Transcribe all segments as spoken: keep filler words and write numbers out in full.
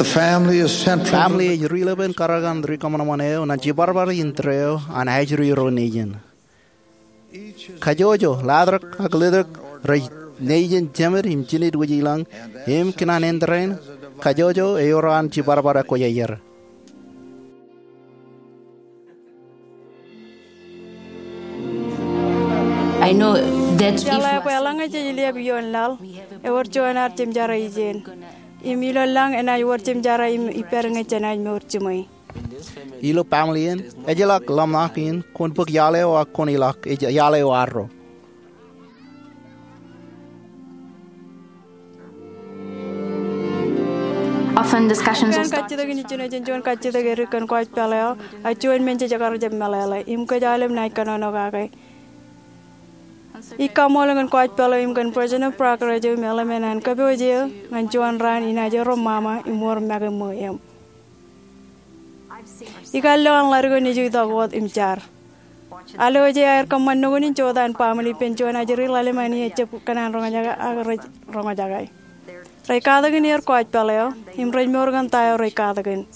Family ej ri-lōpen karōk an rikōṃanṃan eo ñan jibadbad in tōre eo an ajri ro nejin. Kajjojo, latrōk ak letrōk rej nejin jemed im jined wōj i lañ im kōṇaan āindein kajjojo ewōr an jibadbad ekwōjarjar. Jeḷā bwe eḷaññe jej liab ioon laḷ, ewōr juon ad jemjerā ijin. Im ilo lañ enaaj wōr jemjerā im ippād ñe jenaaj mour jiṃwe. Ilo family in, ejjeḷọk ḷōmṇak in kwōn bōk iaḷ eo ak kwōn ilọk, ej iaḷ eo arro. Often discussions will start. Kajjitōk in ijin ej juon kajjitōk edik kōn kwaij pālle eo, ak juon men jej kar jab meḷeḷe, im kōj aolep naaj kōnono kake. Ij kaṃṃoolol kōn kwaij pālle eo im kōn President Parker eo im eḷmen an kōpooj eo ñan juon raan inaaj erom Mama im wōr make ṃōj eṃ. Ikar lo an ḷadik eo nejū itok wōt im jar. Alwōj e aer kōṃṃan nukun in jota an baaṃle ippān juon ajri ḷalem an ejjab kōṇaan roñjake ak rej roñjake. Rej katakin er kwaij pālle eo, im rej mour kōn ta eo rej katakin.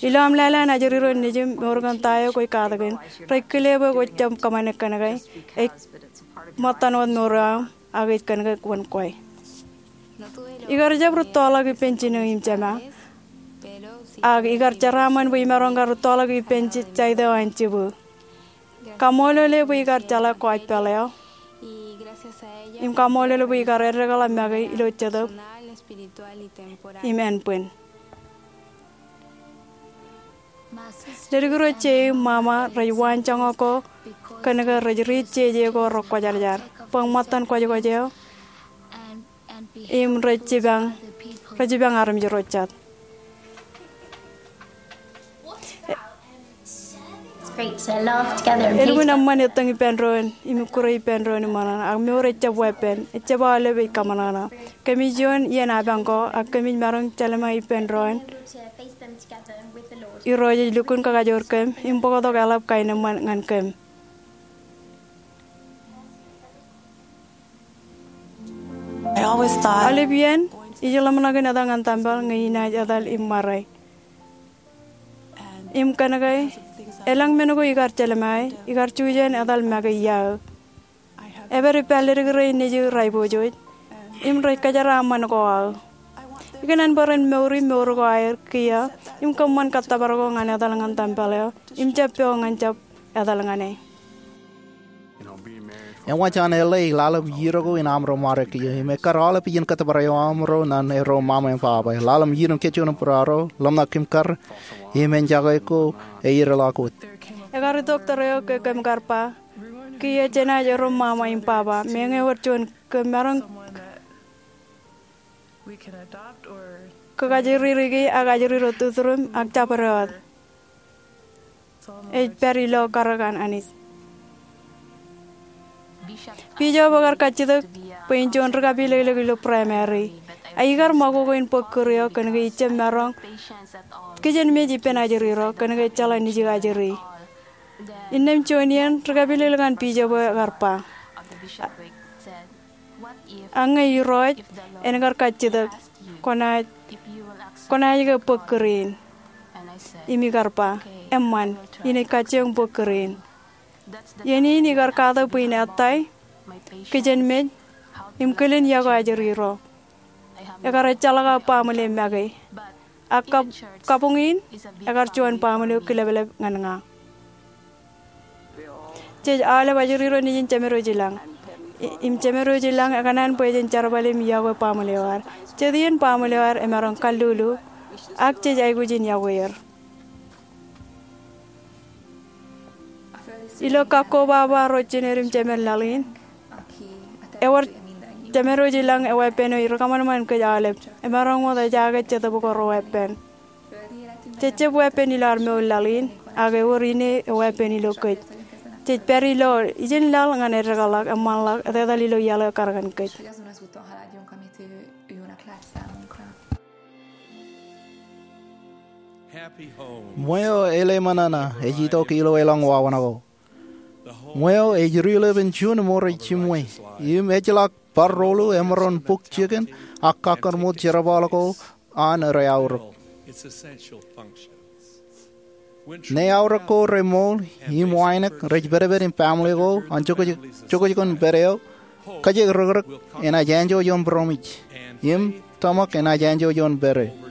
Ilo aṃ lale an ajri ro nejū im mour kōn ta eo kwōj katakin, rej kile bwe kwōj jab kōṃṃane kōn ke, ej ṃōttan wōt mour eo aṃ, ak ej kōn ke kwōn kwe. Ikar jab rūttoḷọk ippān jinō im jema, ak ikar jeraaṃṃan bwe imaroñ kar rūttoḷọk ippān jaite eo an jibū. Kaṃṃoolol e bwe ikar jeḷā kwaij pālle eo, im kaṃṃoolol e bwe ikar eddekḷọk make ilo jetōb im ānbwin. Ledik ro je im Mama rej waanjoñak ko kōn ke rej riit jeje ko rekwōjarjar bwe ṃōttan kwōjkwōj eo im rej jipañ, rej jipañ armej ro jet. Elukkuun eṃṃan ettōñ ippān doon im ikkure ippān doon iṃōṇōṇō, ak mour ejjab weeppān, ejjab aolep ej kōṃōṇōṇō. Kōmij iioon iien apañ ko, ak kōmij maroñ jelṃae ippān doon Irooj ej lukkuun kakajoor kōm im bōktok eḷap kaenōṃṃan ñan kōm. Aolep iien ij ḷōmṇak in etal ñan tempel ñe inaaj etal im ṃare. Im kōn ke elōñ men ko ikar jelṃae, ikar jujen etal make iaō. Epād ippa ledik rein nejū raiboojoj im rej kōjeraaṃṃan ko aō. Ikōṇaan bwe ren mour im mour ko aer kiiō im kōṃṃan kōttōpar ko ñan etal ñan tempel eo im jab pok ñan jab etal ñan e. Ewōr jān ḷe ḷalem iiō ko in aṃro ṃare kiiō im ekkar aolep iien kōttōpar eo aṃro ñan erro mama im baba. Ḷalem iiō im kōjjuon im būruo, ḷōmṇak im kar, im enjake ko eiier ḷọk wōt. Ekar itok tōre eo ke kōm kar ba, kiiō jenaaj erro mama im baba, meñe ewōr juon kōm maroñ kōkajri riki ak ajri ro tuturuṃ ak jabdewōt. Ej pād ilo karōk an Anij. Bishop ekar kajjitōk bwe in juon ri-kapilōklōk ilo primary. A ikar ṃakoko in bōk kūr eo kōn ke ij jab maroñ kijenmej ippān ajri ro kōn ke ejjeḷọk nejū ajri. Innām juon iien ri-kapilōklōk an bishop eo ekar ba, ak ñe Irooj en kar kajjitōk, kwōnaaj, kwōnaaj ke bōk kūr in? Im ikar ba, eṃṃan, inaaj kajjioñ bōk kūr in. Iien in ikar katak bwe in ettā kijenmej im kilen iọkwe ajri ro. Ekar ejjeḷọk aō baaṃle make. Ak kab-, kabuñ in, ekar juon baaṃle eo kileplep ñan ña. Jej aolep ajri ro nejin Jemed eo ilañ. I-, im Jemed eo ilañ ekōṇaan bwe jen jerbal im iọkwe baaṃle eo ad. Jet iien baaṃle eo ad emaroñ kallulu, ak jej aikuj in iọkwe er. Ilo kakko baba ro jined im jemed laḷ in, ewōr Jemed eo ilañ eweeppān eo ri kōṃanṃan kōj aolep. Emaroñ wōt ejaake Jetōb ko reweeppān. Jej jab weeppān ilo ad mour laḷ in, ak ewōr ine eweeppān ilo kōj. Jej pād ilo ijin laḷ ñan eddekḷọk, eṃṃanḷọk, etetal ilo iaḷ eo ekar ñan kōj. Ṃweo eḷeṃōṇōṇō ej itok ilo elōñ wāween ko. Ṃweo ej ri-lōpen juon mour ej jiṃwe, im ejjeḷọk bar roḷu emaroñ bōk jikin ak kakkōn ṃoot jerbal ko an rej aorōk. Ñe aorōk ko remour im wānōk rej pedped im family ko an jokjokon pād eo, kajek rōkrōk enaaj enjo ioon būroṃōj, im tōmak enaaj enjo ioon pere.